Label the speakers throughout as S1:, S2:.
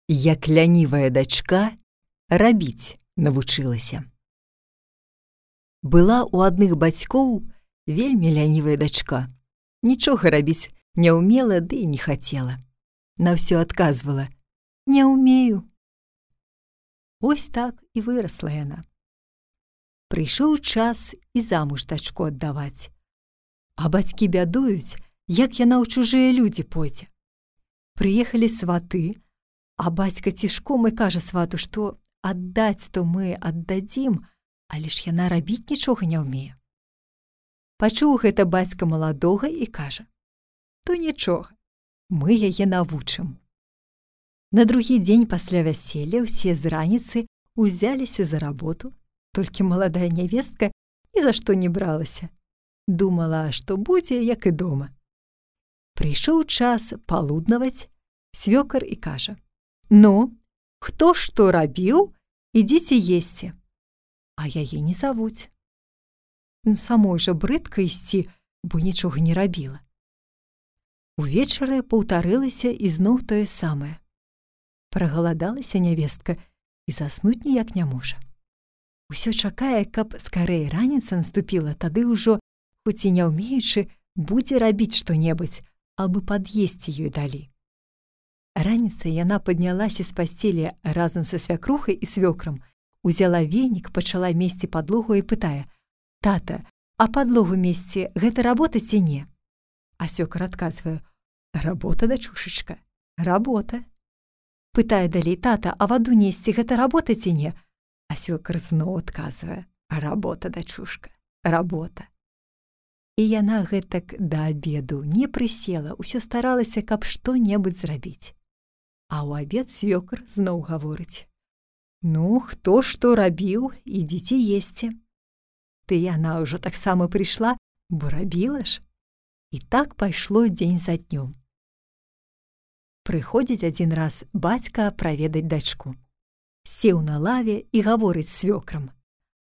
S1: Як лянівая дачка рабіць навучылася. Была ў адных бацькоў вельмі лянівая дачка. Нічога рабіць не ўмела, ды і не хацела. На ўсё адказвала: «Не ўмею». Вось так і вырасла яна. Прыйшоў час і замуж дачку аддаваць. А бацькі бядуюць, як яна ў чужыя людзі пойдзе. Прыехалі сваты, а бацька цішком і кажа свату, што аддаць то мы аддадзім, але ж яна рабіць нічога не ўмее. Пачуў гэта бацька маладога і кажа: «То нічога, мы яе навучым». На другі дзень пасля вяселля ўсе з раніцы ўзяліся за работу, толькі маладая нявестка ні за што не бралася. Думала, што будзе, як і дома. Прыйшоў час палуднаваць, свёкар і кажа: «Ну, хто што рабіў, ідзіце есці». А яе не завуць. Самой жа брыдка ісці, бо нічога не рабіла. Увечары паўтарылася ізноў тое самае. Прагаладалася нявестка і заснуць ніяк не можа. Усё чакае, каб скарэй раніца наступіла, тады ўжо, хоць і не ўмеючы, будзе рабіць што-небудзь, абы пад'есці ёй далі. Раніцай яна паднялася з пасцелі разам са свякрухай і свёкрам, узяла венік, пачала месці падлогу і пытае: «Тата, а падлогу месці — гэта работа ці не?» А свёкар адказвае: «Работа, дачушачка, работа». Пытае далей: «Тата, а ваду несці — гэта работа ці не?» А свёкар зноў адказвае: «Работа, дачушка, работа». І яна гэтак да абеду не прысела, усё старалася, каб што-небудзь зрабіць. А ў абед свёкар зноў гаворыць: «Ну, хто што рабіў, ідзіце есці». Ты яна ўжо таксама прыйшла, бо рабіла ж. І так пайшло дзень за днём. Прыходзіць адзін раз бацька праведаць дачку. Сеў на лаве і гаворыць з свёкрам.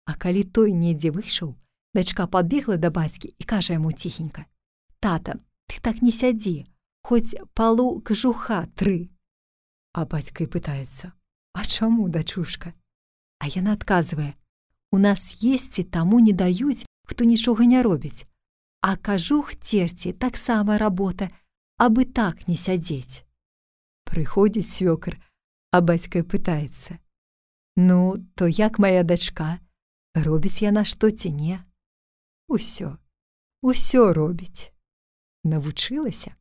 S1: А калі той недзе выйшаў, дачка падбегла да бацькі і кажа яму ціхенька: «Тата, ты так не сядзі, хоць палу кажуха 3. А бацька і пытаецца: «А чаму, дачушка?» А яна адказвае: «У нас есці таму не даюць, хто нічога не робіць. А кажух церці таксама работа, абы так не сядзець». Прыходзіць свёкар, а бацька пытаецца: «Ну, то як мая дачка? Робіць яна што ці не?» Усё робіць. Навучылася.